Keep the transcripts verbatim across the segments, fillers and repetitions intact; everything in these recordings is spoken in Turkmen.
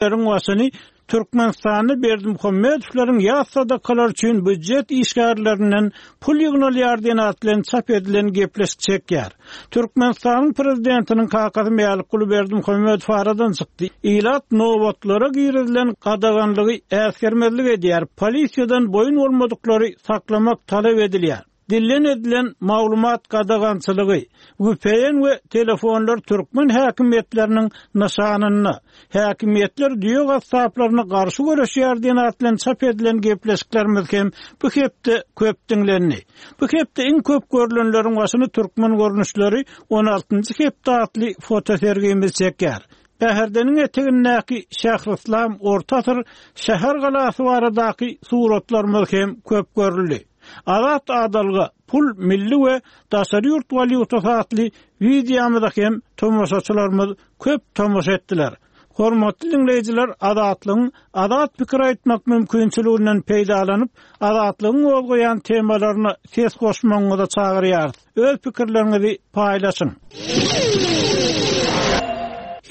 Başyny Türkmenistanda Berdimuhamedowlaryň ýas sadakalar üçin býujet işgärlerinden pul ýygnalýar diýen at bilen çap edilen gepleşik çekýär. Türkmenistanyň prezidentiniň kakasy Mälikguly Berdimuhamedow aradan çykdy. Ilat nobatlara girizilen gadaganlygy äsgermezlik edýär. Polisiýadan boýun bolmadyklary saklamak talap edilýär. Dillen edilen maglumat gadagançylygy, V P N we telefonlar türkmen häkimiýetleriniň nyşanynda, häkimiýetler düýe gasaplaryna garşy göreşýär diýen at bilen çap edilen gepleşiklerimiz hem bu hepde köp diňlendi. Bu hepde iň köp görülenleriň başyny türkmen görnüşleri on altynjy hepde atly fotosergimiz çekýär. Bäherdeniň etegindäki Şährislam Orta asyr şäher galasy baradaky suratlarymyz hem köp görüldi. Azat adalga pul milli we daşary ýurt walýutasy atly wideomyza hem tomaşaçylarymyz köp tomaşa etdiler. Hormatly dinleýjiler, Azatlygyň azat pikir aýtmak mümkinçiliginden peýdalanyp, Azatlygyň gozgaýan temalaryna ses goşmagyňyzy çagyrýarys. Öz pikirleriňizi paýlaşyň.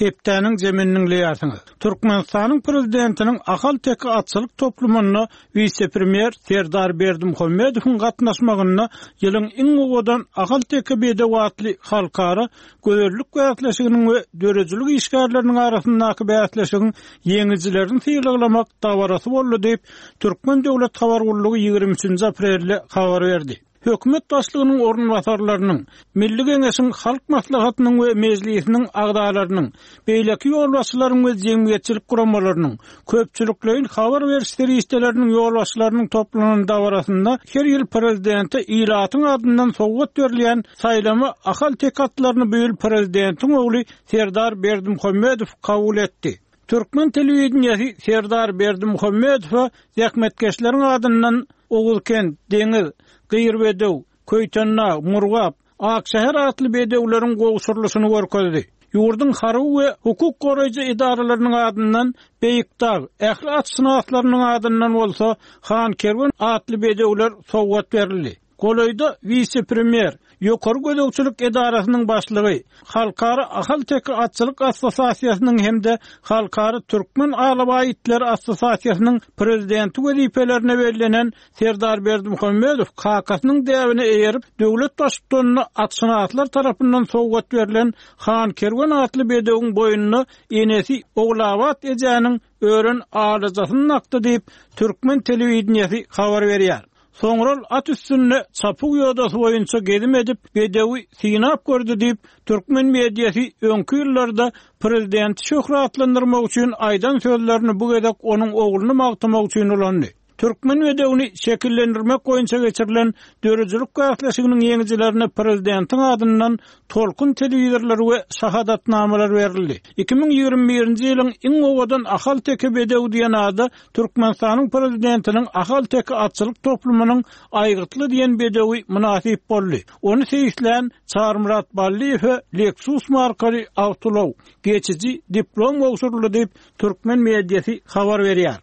Hepdäniň zemini dinleýärsiňiz. Türkmenistanyň prezidentiniň Ahal-Teke atçylyk toplumynda wise-premýer Serdar Berdimuhamedowyň gatnaşmagynda ýylyň iň owadan Ahal-Teke bedew atly halkara gözellik bäsleşiginiň we döredijilik işgärleriniň arasyndaky bäsleşigiň ýeňijilerini sylaglamak dabarasy boldy diýip, Türkmen döwlet habar gullugy ýigrimi üçünji aprelde habar berdi. Hökümet başlygynyň orunbasarlarynyň, Milli Geňeşiň Halk Maslahatynyň we Mejlisiniň agzalarynyň, beýleki ýolbaşçylaryň we jemgyýetçilik guramalarynyň, köpçülikleýin habar beriş serişdeleriniň ýolbaşçylarynyň toplanan dabarasynda her ýyl prezidente ilatyň adyndan sowgat berilýän saýlama Ahal-Teke atlaryny bu ýyl prezidentiň ogly Serdar Berdimuhamedow kabul etdi. Türkmen telewideniýesi Serdar Berdimuhamedowa zähmetkeşleriň adyndan Oguzkent, Deňiz, Gyr bedew, Köýtendag, Murgap, Akşäher atly bedewleriň gowşurylyşyny görkezdi. Ýurduň harby we hukuk goraýjy edaralarynyň adyndan Beýikdag, ähli atşynaslarynyň adyndan bolsa Han Kerwen atly bedewler sowgat berildi. Golaýda wise-premýer, ýokary gözegçilik edarasynyň başlygy, Halkara Ahal-Teke atçylyk assosiasiýasynyň hem-de Halkara Türkmen Alabaý itleri assosiasiýasynyň prezidenti wezipelerine bellenen Serdar Berdimuhamedow kakasynyň däbine eýerip, döwlet baştutanyna atşynaslar tarapyndan sowgat berlen Han Kerwen atly bedewiň boýnuna enesi Ogulabat ejäniň ören alajasyny dakdy diýip, Türkmen telewideniýesi habar berýär. Soňra at üstünde çapug ýodasy boýunça gezim edip, bedewi synap gördi diýip, türkmen mediasy öňki ýyllarda prezidenti şöhratlandyrmak üçin aýdan sözlerini bu gezek onuň ogluny magtamak üçin ulandy. Türkmen bedewini şekillendirmek boýunça geçirilen döredijilik bäsleşiginiň ýeňijilerine prezidentiň adyndan tolkun telewizorlary we şahadatnamalar berildi. Iki müň ýigrimi birinji ýylyň iň owadan Ahal-Teke bedewi diýen ada Türkmenistanyň prezidentiniň Ahal-Teke atçylyk toplumynyň aýgytly diýen bedewi mynasyp boldy. Ony seýislän Çarmyrat Ballyýewe Lexus markaly awtoulаг geçiji diplom gowşuryldy diýip türkmen mediasy habar berýär.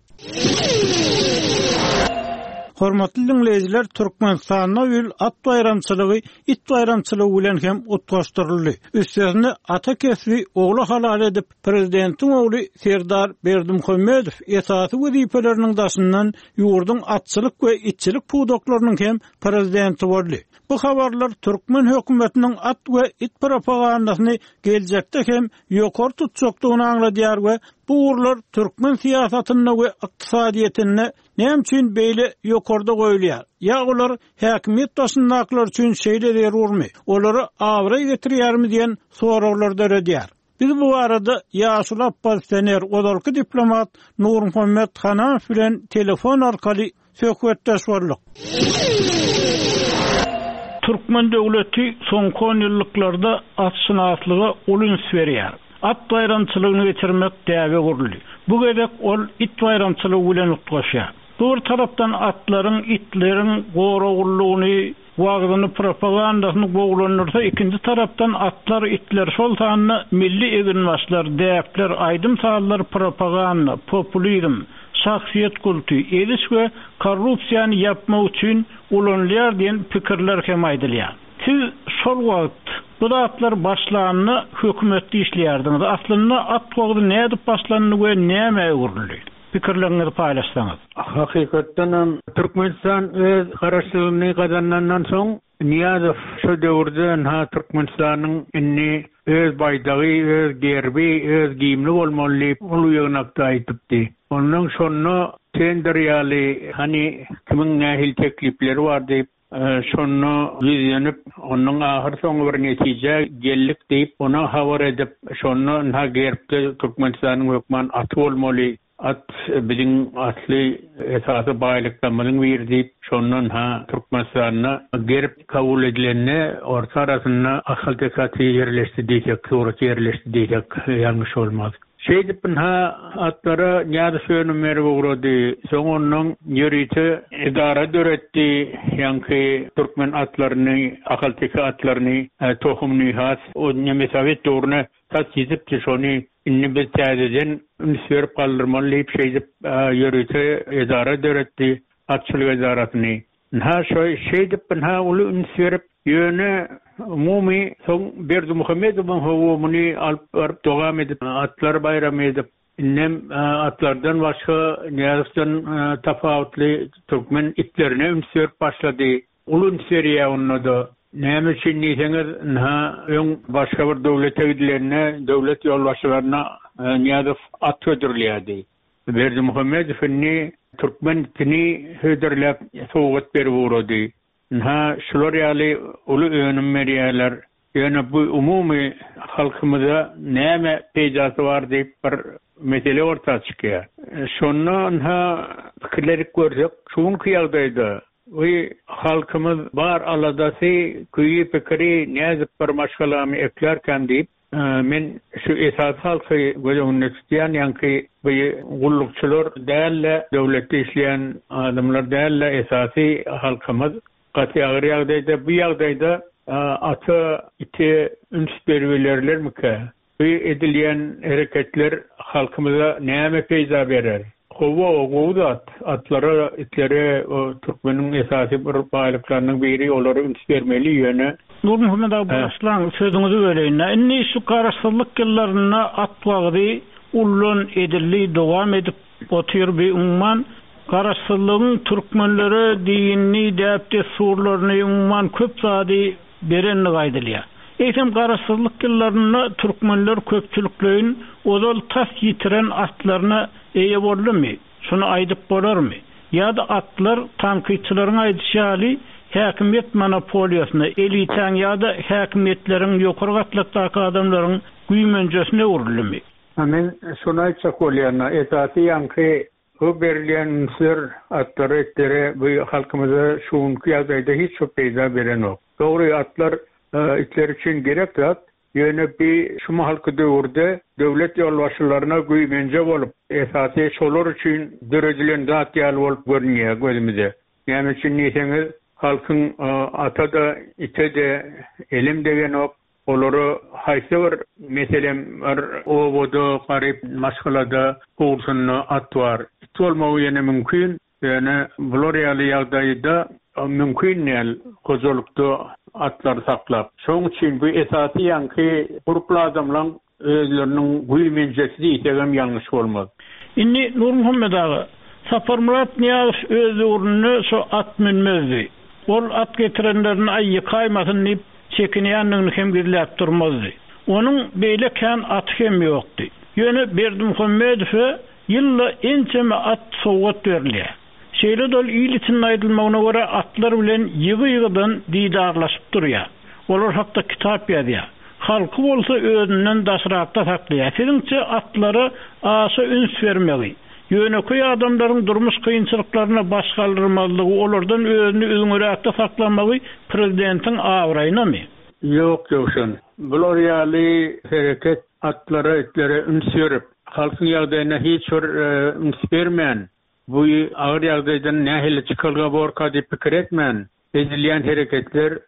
Hormatly dinleýjiler, Türkmenistanda ýyl at baýramçylygy it baýramçylygy bilen hem utgaşdyryldy. Üstesine ata kesbi ogla halal edip, prezidentiň ogly Serdar Berdimuhamedow esasy wezipeleriniň daşyndan ýurduň atçylyk we itçilik pudaklarynyň hem prezidenti boldy. Bu habarlar türkmen hökümetiniň at we it propagandasyny geljekde hem ýokary tutjakdygyny aňladýar we bu ugurlar türkmen syýasatynda we ykdysadyýetinde näme üçin beýle ýokarda goýulýar? Ýa olar häkimiýet başyndakylar üçin şeýle zerurmy? Olara abraý getirýärmi diýen soraglar döredýär. Biz bu arada ýaşuly oppozisioner, ozalky diplomat Nurmuhammet Hanamow bilen telefon arkaly söhbetdeş bolduk. Türkmen döwleti soňky on ýyllyklarda atşynaslyga uly üns berýär. At baýramçylygyny geçirmek däbe guruldy. Bu gezek ol it baýramçylygy bilen utgaşýar. Bu bir tarapdan atlaryň, itleriň goragullugyny, wagzyny, propagandasyny gowulandyrsa, ikinji tarapdan atlar, itler, şol sanda milli eginbaşlar, däpler, aýdym-sazlar, propaganda, populizm, şahsyýet kulty, eziş we korrupsiýany ýapmak üçin ulanylýar diýen pikirler hem aýdylýar. Siz şol wagt bu zatlar başlanda hökümetde işleýärdiňiz. Aslynda at wagty nädip başlandy we näme öwrüldi? Pikirleriňizi paýlaşsaňyz. Hakykatdan hem Türkmenistan öz garaşsyzlygyny gazanandan soň Niýazow şu döwürde ha Türkmenistanyň indi öz baýdagy, öz gerbi, öz gimni bolmaly diýip uly ýygnakda aýdypdy. Ondan şonda tender ýaly hani kimiň nähili teklipleri bar diýip şonda ýüzlenip, onuň ahyr soňy bir netije geldik diýip, ona habar edip, şonda ha gerbde Türkmenistanyň hökman aty bolmaly, at biziň asly esasy baýlyklarymyzyň biri diýip, şondan ha Türkmenistanda gerb kabul edilende orta arasynda Ahalteke aty ýerleşdi diýsek, surat ýerleşdi diýsek ýalňyş bolmaz. Şeýdip ha atlara Nyýazow önüm berip ugrady. Soň ondan ýörite edara döretdi. Ýaňky türkmen atlaryny, Ahalteke atlaryny, tohumyny has o neme Sowet döwrüne tas ýetipdi şony indi biz täzeden üns berip galdyrmaly diýip şeýdip ýörite edara döretdi, atçylyk edarasyny. Ha şoý şeýdip ha uly üns berip ýöne umumy soň Berdimuhamedowyň howumyny alyp baryp dowam edip atlar baýramy edip indem atlardan başga Nyýazowdan tapawutly türkmen itlerine üns berip başlady. Uly üns berýär onda da. Näme üçin diýseňiz, ha öň başga bir döwlete gidilende döwlet ýolbaşçylaryna Nyýazow at hödürleýärdi. Berdimuhamedow indi türkmen itini hödürläp sowgat berip ugrady. Ha şular ýaly uly önüm berýärler. Ýöne bu umumy halkymyza näme peýdasy bar diýip bir mesele orta çykýar. Şonda ha pikirleri görsek, şuňky ýagdaýda bu halkymyz bar aladasy, küýi pikiri näzip bir maşgalamy eklerken diýip, men şu esas halky göz öňünde tutýan, ýaňky bu gullukçylar däl-de, döwletde işleýän adamlar däl-de, esasy halkymyz gaty agyr ýagdaýda, bu ýagdaýda ata ite üns berbilerlermike? Bu edilýän hereketler halkymyza näme peýda berer? Gowy, gowy zat. Atlara, itlere o türkmeniň esasy bir baýlyklarynyň biri, olara üns bermeli ýöne. Nurmuhammet aga başlaň, sözüňizi böleýin. Indi şu garaşsyzlyk ýyllarynda at wagty ullan edildi, dowam edip otyr bir umuman garaşsyzlygyň türkmenlere dinini, däp-dessurlaryny umuman köp zady berenligi aýdylýar. Eýsem garaşsyzlyk ýyllarynda türkmenler köpçülikleýin ozal tas ýitiren atlaryna eýe boldumy? Şunu aýdyp bolarmy? Ýa-da atlar tankytçylaryň aýdyşy ýaly häkimiýet monopoliýasyna, elitäň ýa-da häkimiýetleriň ýokary gatlakdaky adamlaryň güýmenjesine öwrüldimi? Men şunu aýtjak bolýan, esasy ýaňky bu berilýän ünsler atlara, itlere bu halkymyza şuňky ýagdaýda hiç bir peýda berenok. Dogry atlar itler üçin gerek zat, ýöne bir şu mahalky döwürde döwlet ýolbaşçylaryna güýmenje bolup, esasy şolar üçin döredilen zat ýaly bolup görünýär gözümize. Näme üçin diýseňiz, halkyň ata-da, ite-de elem degenok. Olara haýsy bir meselem bir obada, garyp maşgalada howlusynda at bar. It bolmagy ýene mümkin, ýöne bular ýaly ýagdaýda mümkin däl hojalykda atlary saklap. Şonuň üçin bu esasy ýaňky gurply adamlaryň özleriniň güýmenjesi diýsek hem ýalňyş bolmaz. Indi Nurmuhammet aga, Saparmyrat Nyýazow öz döwründe şo at münmezdi. Ol at getirenlerini aý ýykaýmasyn diýip çekinýändigini hem gizläp durmazdy. Onuň beýle kän aty hem ýokdy. Ýöne Berdimuhamedowa ýylda ençeme at sowgat berilýär. Şeýle dol il içinde aýdylmagyna görä atlar bilen ýygy-ýygydan didarlaşyp durýar. Olar hakda kitap ýazýar. Halky bolsa özünden daşrakda saklaýar. Siziňçe atlara aşa üns bermegi, ýönekeý adamlaryň durmuş kynçylyklaryna baş galdyrmazlygy, olardan özüni üzňüräkde saklamagy prezidentiň abraýynamy? Ýok, Ýowşan. Bular ýaly hereket atlara, itlere üns berip, halkyň ýagdaýyna hiç bir üns bermän, bu agyr ýagdaýdan nähili çykalga borka diýip pikir etmän, edilýän hereketler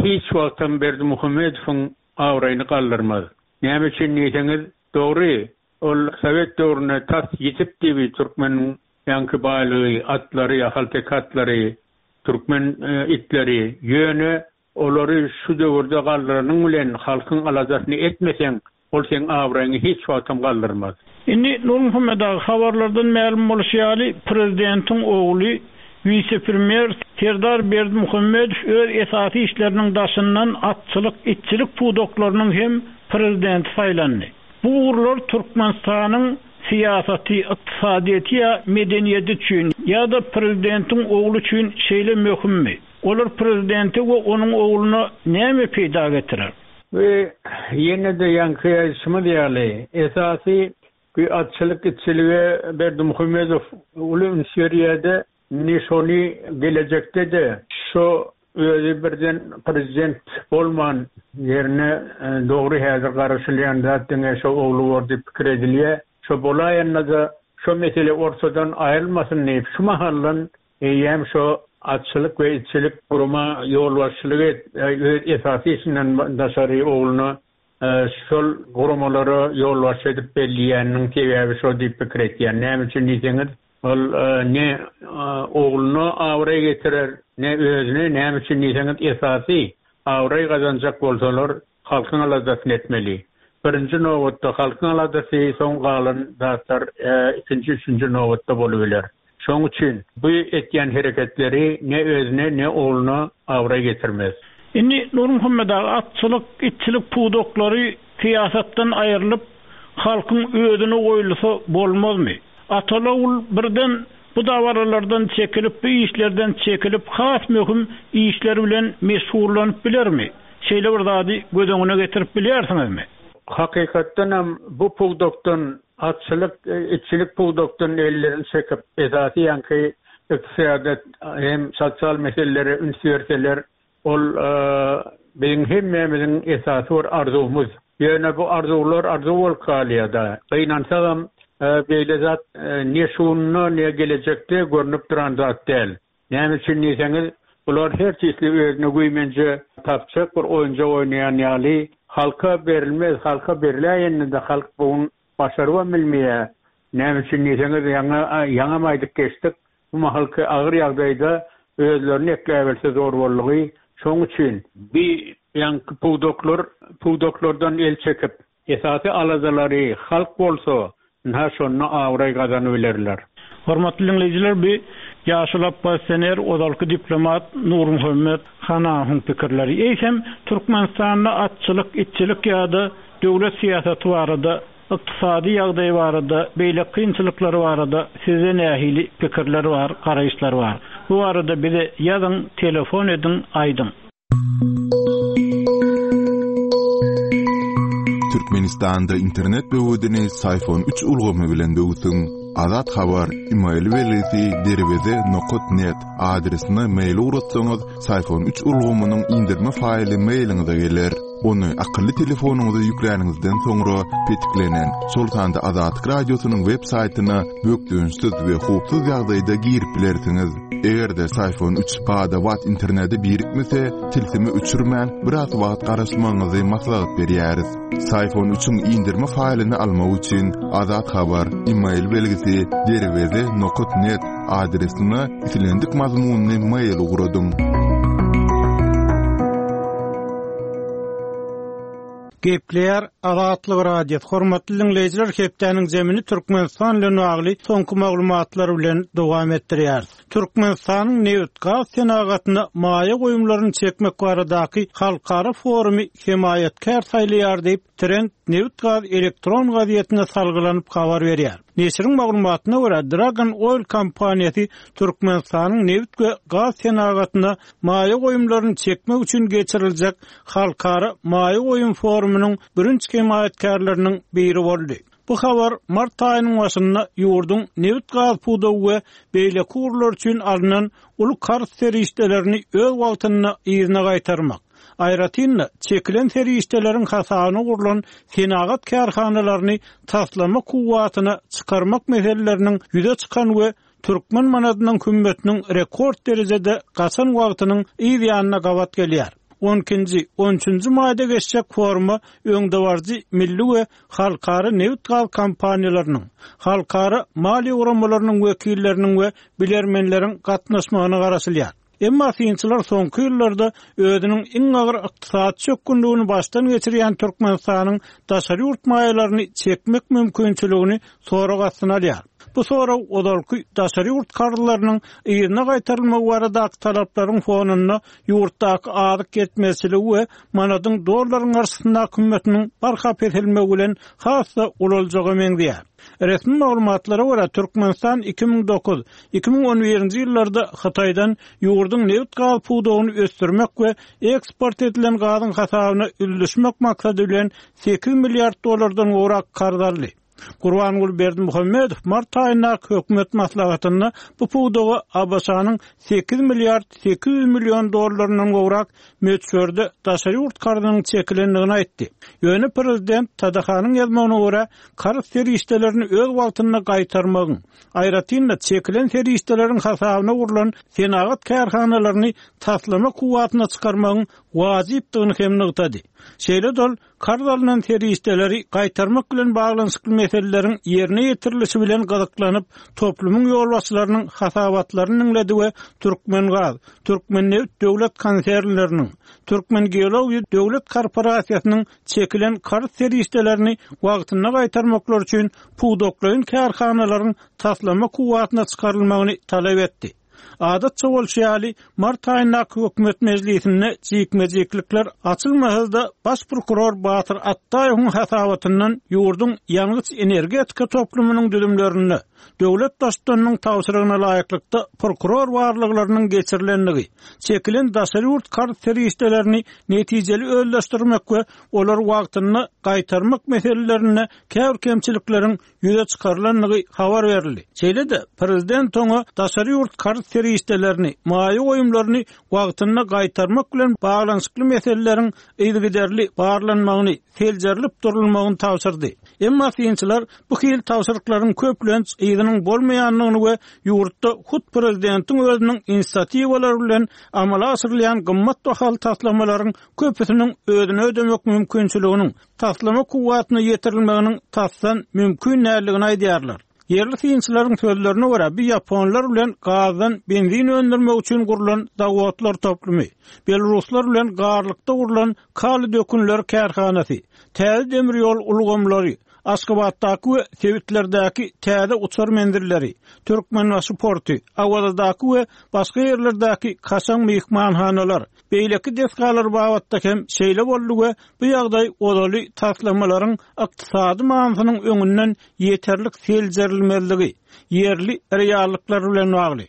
hiç wagtam Berdimuhamedowyň abraýyny galdyrmaz. Näme üçin diýseňiz, dogry, ol Sowet döwründe tas ýetipdi bir türkmeniň ýaňky baýlygy, atlary, ahalteke atlary, türkmen itleri, ýöne Olary şu döwürde galdyranyň bilen halkyň aladasyny etmeseň, ol seň abraýyňy hiç wagtam galdyrmaz. Indi Nurmuhammet aga, habarlardan mälim bolşy ýaly, prezidentiň ogly wise-premýer Serdar Berdimuhamedow öz esasy işleriniň daşyndan atçylyk, itçilik pudaklarynyň hem prezidenti saýlandy. Bu ugurlar Türkmenistanyň syýasaty, ykdysadyýeti ýa medeniýeti üçin ýa-da prezidentiň ogly üçin şeýle möhümmi? Olar prezidente we onuň ogluna näme peýda getirer? We ýene-de ýaňky aýdyşymyz ýaly, esasy bu atçylyk, itçilige Berdimuhamedow uly üns berýär-de, indi şony gelejekde-de şo özi birden prezident bolman ýerine dogry häzir garaşylýan zat diňe şo ogly bor diýip pikir edilýär. Şo bolaýanda-da şo mesele ortadan aýrylmasyn diýip şu mahaldan eýýäm şo atçylyk we itçilik gurama ýolbaşçylyk et, öz esasy işinden daşary ogluna şol guramalara ýolbaşçy edip belleýäniniň sebäbi şo diýip pikir etýän. Näme üçin diýseňiz, ol ne ogluna abraý getirer, ne özüne, näme üçin diýseňiz, esasy abraý gazanjak bolsalar halkyň aladasyny etmeli. Birinji nobatda halkyň aladasy, soň galan zatlar ikinji, üçünji nobatda bolup biler. Şonuň üçin bu etýän hereketleri ne özüne, ne ogluna abraý getirmez. Indi Nurmuhammet aga, atçylyk, itçilik pudaklary syýasatdan aýrylyp, halkyň özüne goýulsa bolmazmy? Ataly-ogul birden bu dabaralardan çekilip, bu işlerden çekilip, has möhüm işler bilen meşgullanyp bilermi? Şeýle bir zady göz öňüne getirip bilýärsiňizmi? Hakykatdan hem bu pudakdan atçylyk, itçilik pudakdan ellerini çekip, esasy ýaňky ykdysadyýet hem sosial meselelere üns berseler, ol biziň hemmämiziň esasy bir arzuwymyz. Ýöne bu arzuwlar arzuw bolup galýar-da. Gynansagam, beýle zat ne şunda, ne gelejekde görnüp duran zat däl. Näme üçin diýseňiz, bular her çeşitli özüne güýmenje tapjak bir oýunjak oýnaýan ýaly, halka berilmez, halka beriläýende-de halk bu başarybam bilmeýär. Näme üçin diýseňiz, ýaňy ýaňam aýdyp geçdik, bu mahalky agyr ýagdaýda özlerini ekläbilse zor boldugy. Şonuň üçin bi ýaňky pudaklar, pudaklardan el çekip, esasy aladalary halk bolsa, ynha şonda abraý gazanyp bilerler. Hormatly dinleýjiler, bu ýaşuly oppozisioner, ozalky diplomat Nurmuhammet Hanawyň pikirleri. Eýsem, Türkmenistanda atçylyk, itçilik ýa-da döwlet syýasaty barada, ykdysady ýagdaý barada, beýle kynçylyklary barada sizde nähili pikirler bar, garaýyşlar bar? Bu barada bize ýazyň, telefon ediň, aýdyň. Türkmenistanda internet böwedini Syfon üç ulgamy bilen böwsüň. Azat Habar, e-mail belgisi derweze nokta net adresine mail ugratsaňyz, Syfon üç ulgamynyň indirme faýly mailiňize geler. Ony akylly telefonyňyza ýükläniňizden soňra petiklenen, şol sanda Azatlyk Radiosynyň web saýtyna bökdençsiz we howpsuz ýagdaýda girip bilersiňiz. Eger-de Syfon üç bada-bat internete birikmese, tilsimi öçürmän biraz wagt garaşmagyňyzy maslahat berýäris. Syfon üçiň indirme faýlyny almak üçin Azat Habar, e-mail belgisi derweze nokta net adresine islendik mazmunyny mail ugradyň. Gepleýär Azatlyk Radiosy. Hormatly dinleýjiler, hepdäniň zemini Türkmenistan bilen bagly soňky maglumatlar bilen dowam etdirýär. Türkmenistanyň nebit-gaz senagatyna maýa goýumlaryny çekmek baradaky halkara forumy hemaýatkär saýlaýar diýip, Trend nebit-gaz elektron gazetine salgylanyp habar berýär. Neşiriň maglumatyna görä, Dragon Oil kompaniýasy Türkmenistanyň nebit we gaz senagatyna maýa goýumlaryny çekmek üçin geçiriljek halkara maýa goýum forumynyň birinji hemaýatkärleriniň biri boldy. Bu habar mart aýynyň başynda ýurduň nebit-gaz pudagy we beýleki ugurlar üçin alnan uly karz serişdelerini öz wagtynda yzyna gaýtarmak, aýratyn-da çekilen serişdeleriň hasabyna gurlan senagat kärhanalaryny taslama kuwwatyna çykarmak meseleleriniň ýüze çykan we türkmen manadynyň hümmetiniň rekord derejede gaçan wagtynyň yz ýanyna gabat gelýär. on ikinji, on üçünji maýda geçjek foruma öňdebaryjy milli we halkara nebit-gaz kompaniýalarynyň, halkara maliýe guramalarynyň wekilleriniň we bilermenleriň gatnaşmagyna garaşylýar. Emma synçylar soňky ýyllarda özüniň iň agyr ykdysady çökgünligini başdan geçirýän Türkmenistanyň daşary ýurt maýalaryny çekmek mümkinçiligini sorag astyna alýar. Bu sorag ozalky daşary ýurt karzlarynyň yzyna gaýtarylmagy baradaky talaplaryň fonunda ýurtdaky azyk ýetmezçiligi we manadyň dollaryň garşysyndaky hümmetiniň barha peselmegi bilen has-da ulaljaga meňzeýär. Resmi maglumatlara görä Türkmenistan iki müň dokuz iki müň on birinji ýyllarda Hytaýdan ýurduň nebit gaz pudagyny ösdürmek we eksport edilen gazyň hasabyna üzlüşmek maksady bilen sekiz milliard dollardan gowrak karz aldy. Gurbanguly Berdimuhamedow mart aýyndaky hökümet maslahatynda bu pudaga A B Ş-nyň sekiz milliard sekiz ýüz million dollaryndan gowrak möçberde daşary ýurt karzynyň çekilendigini aýtdy. Ýöne prezident T D H-nyň ýazmagyna görä karz serişdelerini öz wagtynda gaýtarmagyň, aýratyn-da çekilen serişdeleriň hasabyna gurlan senagat kärhanalaryny taslama kuwwatyna çykarmagyň wajypdygyny hem nygtady. Şeýle dol karz alynan serişdeleri gaýtarmak bilen baglanyşykly meseleleriň ýerine ýetirilişi bilen gyzyklanyp, toplumyň ýolbaşçylarynyň hasabatlaryny diňledi we Türkmengaz, Türkmennebit döwlet konsernleriniň, Türkmengeologiýa döwlet korporasiýasynyň çekilen karz serişdelerini wagtynda gaýtarmaklar üçin pudaklaýyn kärhanalaryň taslama kuwwatyna çykarylmagyny talap etdi. Adatça bolşy ýaly, mart aýyndaky hökümet mejlisinde jikme-jiklikler açylmasa-da baş prokuror Batyr Atdaýewiň hasabatyndan ýurduň ýangyç energetika toplumynyň düzümlerinde döwlet baştutanynyň tabşyrygyna laýyklykda prokuror barlaglarynyň geçirilendigi, çekilen daşary ýurt karz serişdelerini netijeli özleşdirmek we olary wagtynda gaýtarmak meselelerinde käbir kemçilikleriň ýüze çykarylandygy habar berildi. Şeýle-de prezident oňa daşary ýurt karz serişdelerini, maýa goýumlaryny wagtynda gaýtarmak bilen baglanyşykly meseleleriň yzygiderli barlanmagyny, seljerilip durulmagyny tabşyrdy. Emma synçylar bu hil tabşyryklaryň köplenç yzynyň bolmaýandygyny we ýurtda hut prezidentiň özüniň inisiatiwalary bilen amala aşyrylýan gymmat bahaly taslamalaryň köpüsiniň özüne ödemek mümkinçiliginiň taslama kuwwatyna ýetirilmeginiň tasdan mümkin däldigini aýdýarlar. Ýerli synçylaryň sözlerine görä bu ýaponlar bilen gazdan benzin öndürmek üçin gurlan zawodlar toplumy, Belaruslar bilen garlykda gurlan kali dökünler kärhanasy, täze demir ýol ulgamlary, Aşgabatdaky we sebitlerdäki täze uçar menzilleri, Türkmenbaşy porty, Awazadaky we başga ýerlerdäki kaşaň myhmanhanalar, beýleki desgalar babatda hem şeýle boldy we bu ýagdaý ozaly taslamalaryň ykdysady manysynyň öňünden ýeterlik seljerilmezligi, ýerli reallyklar bilen bagly.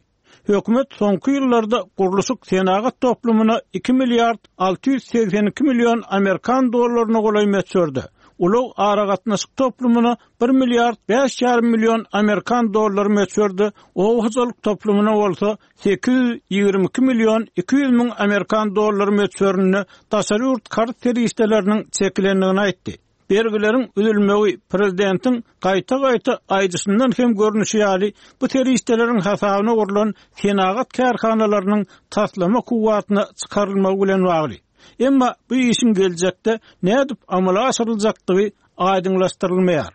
Hökümet soňky ýyllarda gurluşyk senagat toplumyna iki milliard alty ýüz segsen iki million Amerikan dollaryna golaý möçberde, ulag aragatnaşyk toplumyna bir milliard bäş ýarym million Amerikan dollary möçberde, oba hojalyk toplumyna bolsa sekiz ýüz ýigrimi iki million iki ýüz müň Amerikan dollary möçberinde daşary ýurt karz serişdeleriniň çekilendigini aýtdy. Bergileriň üzülmegi prezidentiň gaýta-gaýta aýdyşyndan hem görnüşi ýaly bu serişdeleriň hasabyna gurlan senagat kärhanalarynyň taslama kuwwatyna çykarylmagy bilen bagly. Emma bu işiň geljekde nädip amala aşyryljakdygy aýdyňlaşdyrylmaýar.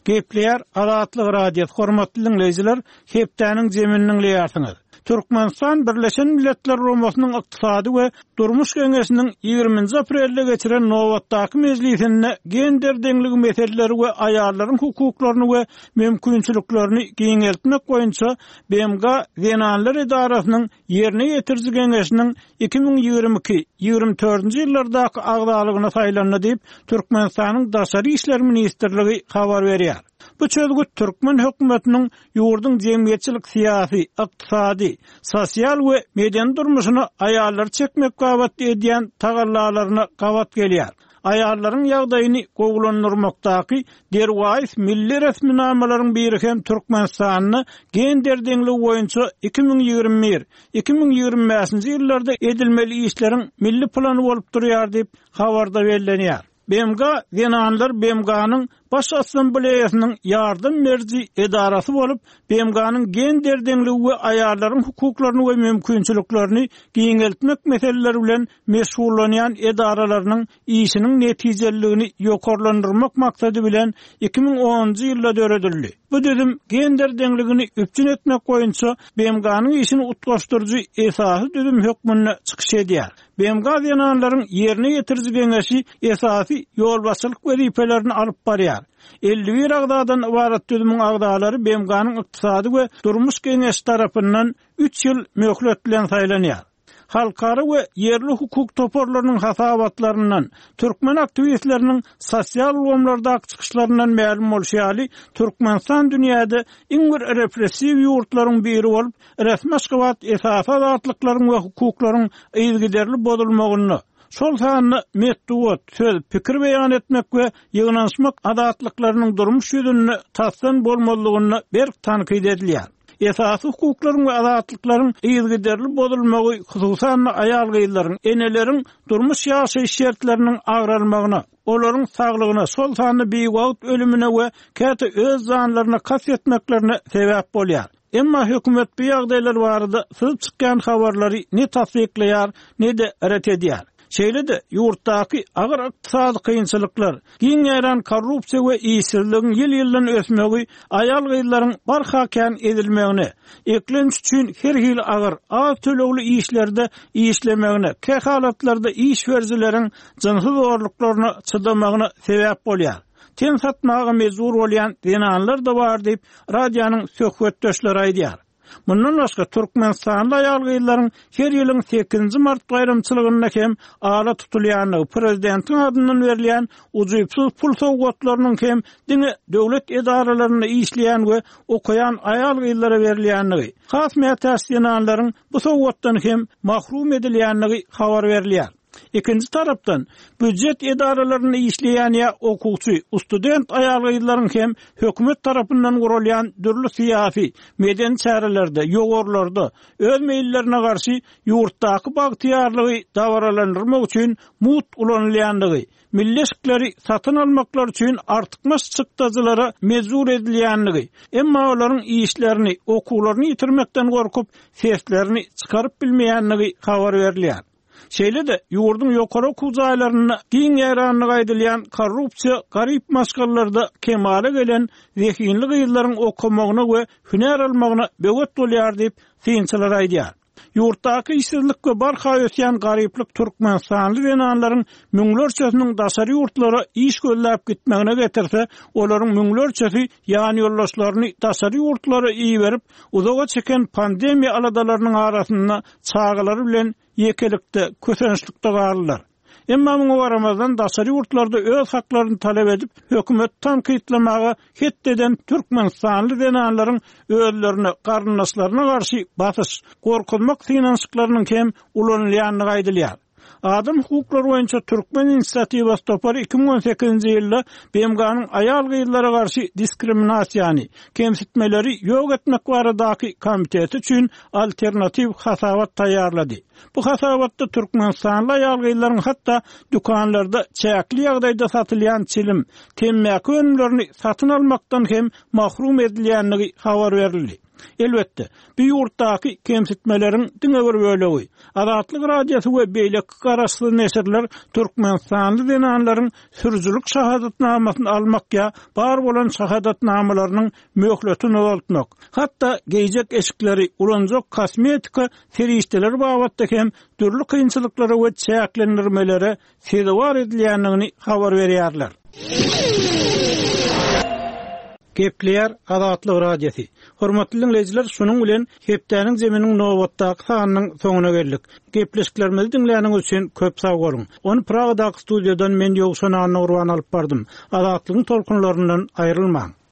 Gepleýär Azatlyk Radiosy, hormatly dinleýjiler, hepdäniň zemini dinleýärsiňiz. Türkmenistan Birleşen Milletler Guramasynyň Ykdysady we Durmuş Geňeşiniň ýigriminji aprelde geçiren nobatdaky mejlisinde gender deňligi meseleleri we aýallaryň hukuklaryny we mümkinçiliklerini giňeltmek boýunça B M G Zenanlar Edarasynyň ýerine ýetiriji geňeşiniň iki müň ýigrimi iki ýigrimi dördünji ýyllardaky agzalygyna saýlandy diýip Türkmenistanyň Daşary İşler Ministrligi habar berýär. Bu çözgüt Türkmen hökümetiniň ýurduň jemgyýetçilik syýasy, ykdysady, sosial we medeni durmuşyna aýallary çekmek babatda edýän tagallalaryna gabat gelýär. Aýallaryň ýagdaýyny gowulandyrmakdaky derwaýys milli resminamalaryň biri hem Türkmenistanda gender deňligi boýunça iki müň ýigrimi bir, iki müň ýigrimi bäşinji ýyllarda edilmeli işleriň milli plany bolup durýar diýip habarda bellenýär. B M G Zenanlar B M G-nyň Baş Assambleýasynyň ýardam beriji edarasy bolup, B M G-nyň gender deňligi we aýallaryň hukuklaryny we mümkinçiliklerini giňeltmek meseleleri bilen meşgullanýan edaralarynyň işiniň netijeliligini ýokarlandyrmak maksady bilen iki müň onunjy ýylda döredildi. Bu düzüm gender deňligini üpjün etmek boýunça B M G-nyň işini utgaşdyryjy esasy düzüm hökmünde çykyş edýär. B M G zenanlaryň ýerine ýetiriji geňeşi esasy ýolbaşçylyk wezipelerini alyp barýar. elli bir agzadan ybarat düzümiň agzalary B M G-nyň ykdysady we durmuş geňeşi tarapyndan üç ýyl möhlet bilen saýlanýar. Halkara we ýerli hukuk toparlarynyň hasabatlaryndan, türkmen aktiwistleriniň sosial ulgamlardaky çykyşlaryndan mälim bolşy ýaly, Türkmenistan dünýäde iň bir repressiw ýurtlaryň biri bolup, resmi Aşgabat esasy azatlyklaryň we hukuklaryň yzygiderli bozulmagynda, şol sanda metbugat, söz, pikir beýan etmek we ýygnanyşmak azatlyklarynyň durmuş ýüzünde tasdan bolmazlygynda berk tankyt edilýär. Esasy hukuklaryň we azatlyklaryň yzygiderli bozulmagy hususan aýal-gyzlaryň, eneleriň durmuş ýaşaýyş şertleriniň agralmagyna, olaryň saglygyna, şol sanda biwagt ölümine we käte öz janlaryna kast etmeklerine sebäp bolýar. Emma hökümet bu ýagdaýlar barada syzyp çykýan habarlary ne tassyklaýar, ne-de ret edýär. Şeýle-de ýurtdaky agyr ykdysady kynçylyklar, giň ýaýran korrupsiýa we işsizligiň ýyl-ýyldan ösmegi aýal-gyzlaryň barha kän edilmegine, eklenç üçin her hili agyr, az tölegli işlerde işlemegine, kähalatlarda iş berijileriň jynsy zorluklaryna çydamagyna sebäp bolýar. Ten satmaga mejbur bolýan zenanlar da bar diýip, radionyň söhbetdeşleri aýdýar. Mundan başga Türkmenistanly aýal-gyzlaryň her ýylyň sekizinji mart baýramçylygynda hem ala tutulýandygy, prezidentiň adyndan berilýän ujypsyz pul sowgatlarynyň hem diňe döwlet edaralarynda işleýän we okaýan aýal-gyzlara berilýändigi, has mätäç zenanlaryň bu sowgatdan hem mahrum edilýändigi habar berilýär. Ikinji tarapdan býujet edaralarynda işleýän ýa okuwçy, student aýal-gyzlaryň hem hökümet tarapyndan guralýan dürli syýasy, medeni çärelerde, ýowarlarda öz meýillerine garşy ýurtdaky bagtyýarlygy dabaralandyrmak üçin mugt ulanylýandygy, milli eşikleri satyn almaklar üçin artykmaç çykdajylara mejbur edilýändigi, emma olaryň işlerini, okuwlaryny ýitirmekden gorkup, seslerini çykaryp bilmeýändigi habar berilýär. Şeýle-de ýurduň ýokary okuw jaýlarynda giň ýaýranlygy aýdylýan korrupsiýa garyp maşgalalarda kemala gelen zehinli gyzlaryň okamagyna we hünär almagyna böwet bolýar diýip synçylar aýdýar. Ýurtdaky işsizlik we barha ösýän garyplyk Türkmenistanly zenanlaryň müňlerçesiniň daşary ýurtlara iş gözläp gitmegine getirse, olaryň müňlerçesi ýan ýoldaşlaryny daşary ýurtlara iberip, uzaga çeken pandemiýa aladalarynyň arasynda çagalary bilen ýekelikde, kösençlikde galdylar. Emma muňa garamazdan daşary ýurtlarda öz haklaryny talap edip, hökümet tankytlamaga het eden Türkmenistanly zenanlaryň özlerine, garyndaşlaryna garşy basyş, gorkuzmak synanyşyklarynyň hem ulanylýandygy aýdylýar. Adam hukuklary boýunça Türkmen inisiatiwasy topary iki müň on sekizinji ýylda B M G-nyň aýal-gyzlara garşy diskriminasiýany, kemsitmeleri ýok etmek baradaky komiteti üçin alternatiw hasabat taýýarlady. Bu hasabatda Türkmenistanly aýal-gyzlaryň hatda dükanlarda çäkli ýagdaýda satylýan çilim, temmäki önümlerini satyn almakdan hem mahrum edilýändigi habar berildi. Elbetde, bu ýurtdaky kemsitmeleriň diňe bir bölegi. Azatlyk Radiosy we beýleki garaşsyz neşirler Türkmenistanly zenanlaryň sürüjilik şahadatnamasyny almak ýa bar bolan şahadatnamalarynyň möhletini uzaltmak, hatda geýjek eşikleri, ulanjak kosmetika serişdeleri babatda hem dürli kynçylyklara we çäklendirmelere sezewar edilýändigini habar berýärler. Gepleýär Azatlyk Radiosy. Hormatly dinleýjiler, şunuň bilen hepdäniň zeminiň nobatdaky sanynyň soňuna geldik. Gepleşiklerimizi diňläniňiz üçin köp sag boluň. Ony Pragadaky studiýadan men Ýowşan Annagurban alyp bardym. Azatlygyň tolkunlaryndan aýrylmaň.